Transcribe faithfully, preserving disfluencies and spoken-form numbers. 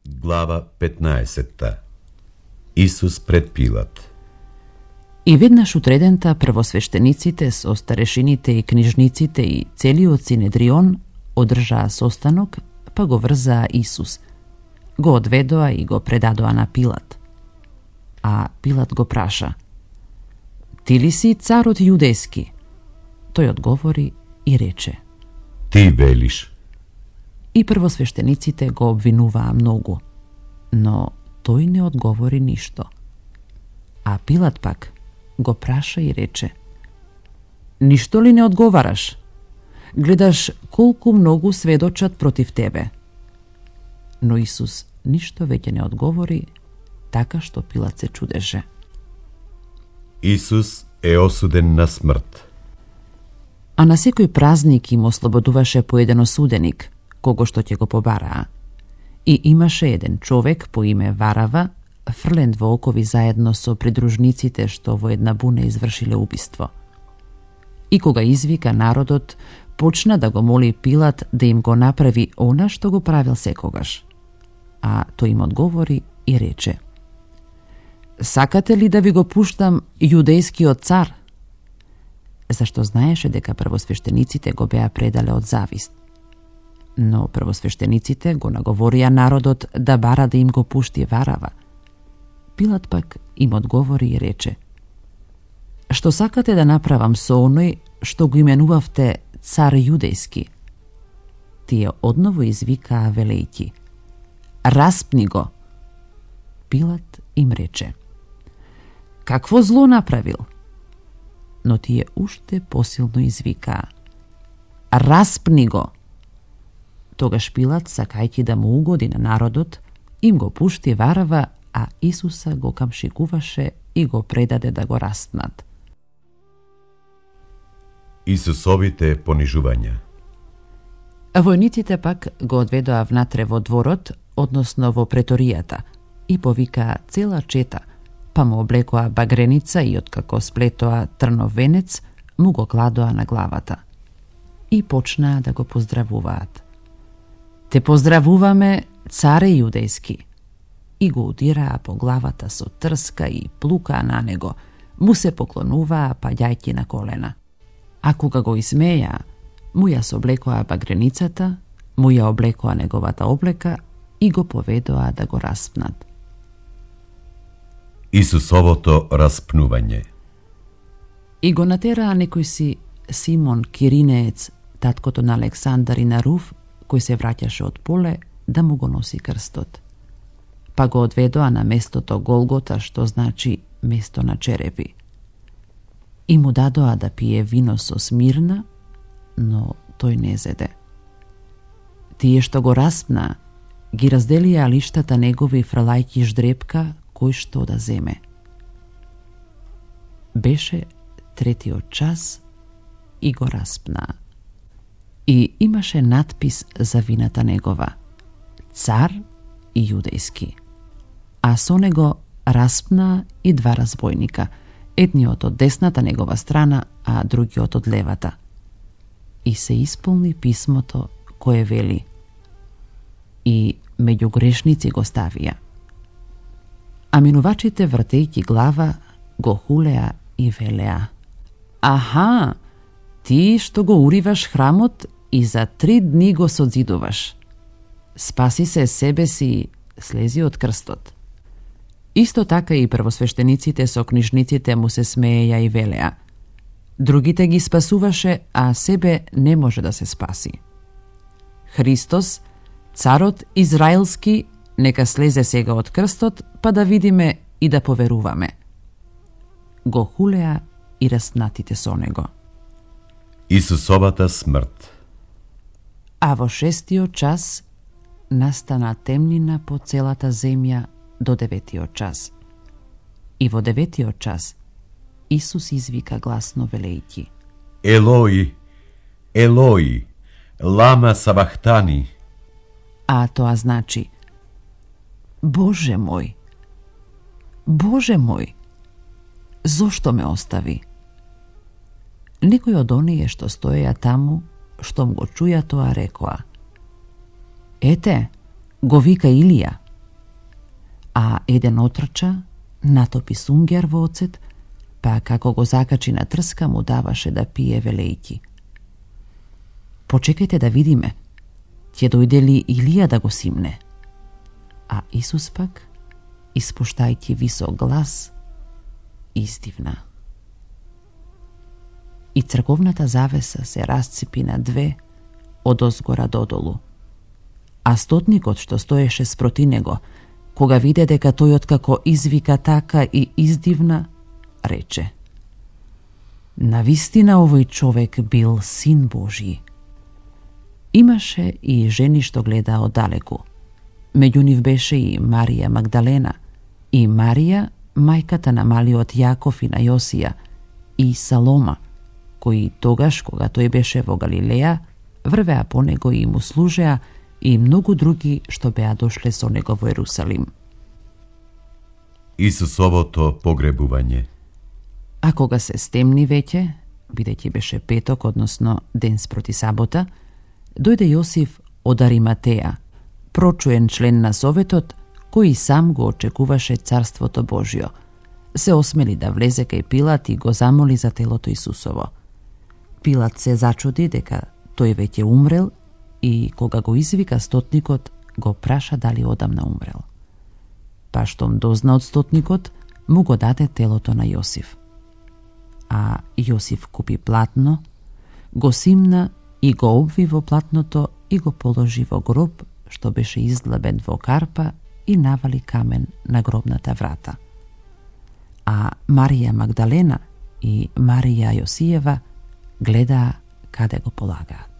Глава петнаесетта. Исус пред Пилат. И веднаш утредента првосвештениците со старешините и книжниците и целиот Синедрион одржаа состанок, па го врзаа Исус. Го одведоа и го предадоа на Пилат. А Пилат го праша: "Ти ли си царот јудејски?" Тој одговори и рече: "Ти велиш." И првосвештениците го обвинуваа многу, но тој не одговори ништо. А Пилат пак го праша и рече: "Ништо ли не одговараш? Гледаш колку многу сведочат против тебе." Но Исус ништо веќе не одговори, така што Пилат се чудеше. Исус е осуден на смрт. А на секој празник им ослободуваше по еден осуденик, кого што ќе го побараа. И имаше еден човек по име Варава, фрлен во окови заедно со придружниците што во една буна извршиле убиство. И кога извика народот, почна да го моли Пилат да им го направи она што го правил секогаш. А тој им одговори и рече: "Сакате ли да ви го пуштам јудејскиот цар?" Зашто знаеше дека првосвештениците го беа предале од завист. Но првосвештениците го наговорија народот да бара да им го пушти Варава. Пилат пак им одговори и рече: "Што сакате да направам со оној што го именувавте цар јудејски?" Тие одново извикаа велејќи: "Распни го!" Пилат им рече: "Какво зло направил?" Но тие уште посилно извикаа: "Распни го!" Тогаш Пилат, сакајќи да му угоди на народот, им го пушти Варава, а Исуса го камшикуваше и го предаде да го распнат. Исусовите понижувања. Војниците пак го одведоа внатре во дворот, односно во преторијата, и повикаа цела чета, па му облекоа багреница и откако сплетоа трнов венец, му го кладоа на главата. И почнаа да го поздравуваат: "Те поздравуваме, царе јудејски." И го удираа по главата со трска и плукаа на него, му се поклонуваа паѓајќи на колена. А кога го измеја, му ја соблекоа багреницата, му ја облекоа неговата облека и го поведоа да го распнат. Исусовото распнување. И го натераа некој си Симон Киринеец, таткото на Александар и на Руф, кој се враќаше од поле, да му го носи крстот. Па го одведоа на местото Голгота, што значи место на черепи. И му дадоа да пие вино со смирна, но тој не зеде. Тие што го распнаа, ги разделија лиштата негови фрлајќи ждрепка кој што да земе. Беше третиот час и го распнаа. И имаше надпис за вината негова: "Цар јудејски." А со него распнаа и два разбойника, едниот од десната негова страна, а другиот од левата. И се исполни писмото кое вели: "И меѓу грешници го ставија." А минувачите, вртејќи глава, го хулеа и велеа: "Аха, ти што го уриваш храмот и за три дни го созидуваш. Спаси се себе си, слези од крстот." Исто така и првосвештениците со книжниците му се смееја и велеа: "Другите ги спасуваше, а себе не може да се спаси. Христос, царот израелски, нека слезе сега од крстот, па да видиме и да поверуваме." Го хулеа и распнатите со него. Исусовата смрт. А во шестиот час настана темнина по целата земја до деветиот час. И во деветиот час Исус извика гласно велејќи: "Елои, Елои, лама сабахтани." А тоа значи: "Боже мој, Боже мој, зошто ме остави?" Некој од оние што стоеја таму, штом го чуја тоа, рекоа: "Ете, го вика Илија." а еден отрча, натопи сунгер во оцет, па како го закачи на трска му даваше да пие велејќи. Почекајте да видиме, ќе дојде ли Илија да го симне? А Исус пак, испуштајќи висок глас, издивна. И црковната завеса се расципи на две, од озгора додолу. А стотникот што стоеше спроти него, кога виде дека тој откако извика така и издивна, рече: навистина овој човек бил син Божи. Имаше и жени што гледаа оддалеку. Меѓу нив беше и Марија Магдалена, и Марија, мајката на малиот Јаков и на Јосија, и Салома, кои тогаш, кога тој беше во Галилеја, врвеа по него и му служеа, и многу други што беа дошле со него во Ерусалим. Исусовото погребување. А кога се стемни веќе, бидејќи беше петок, односно ден спроти сабота, дојде Јосиф од Ариматеја, прочуен член на Советот, кој сам го очекуваше Царството Божјо. Се осмели да влезе кај Пилат и го замоли за телото Исусово. Пилат се зачуди дека тој веќе умрел и кога го извика стотникот, го праша дали одамна умрел. Па штом дозна од стотникот, му го даде телото на Јосиф. А Јосиф купи платно, го симна и го обви во платното и го положи во гроб што беше издлабен во карпа и навали камен на гробната врата. А Марија Магдалена и Марија Јосиева гледаа каде го полагаат.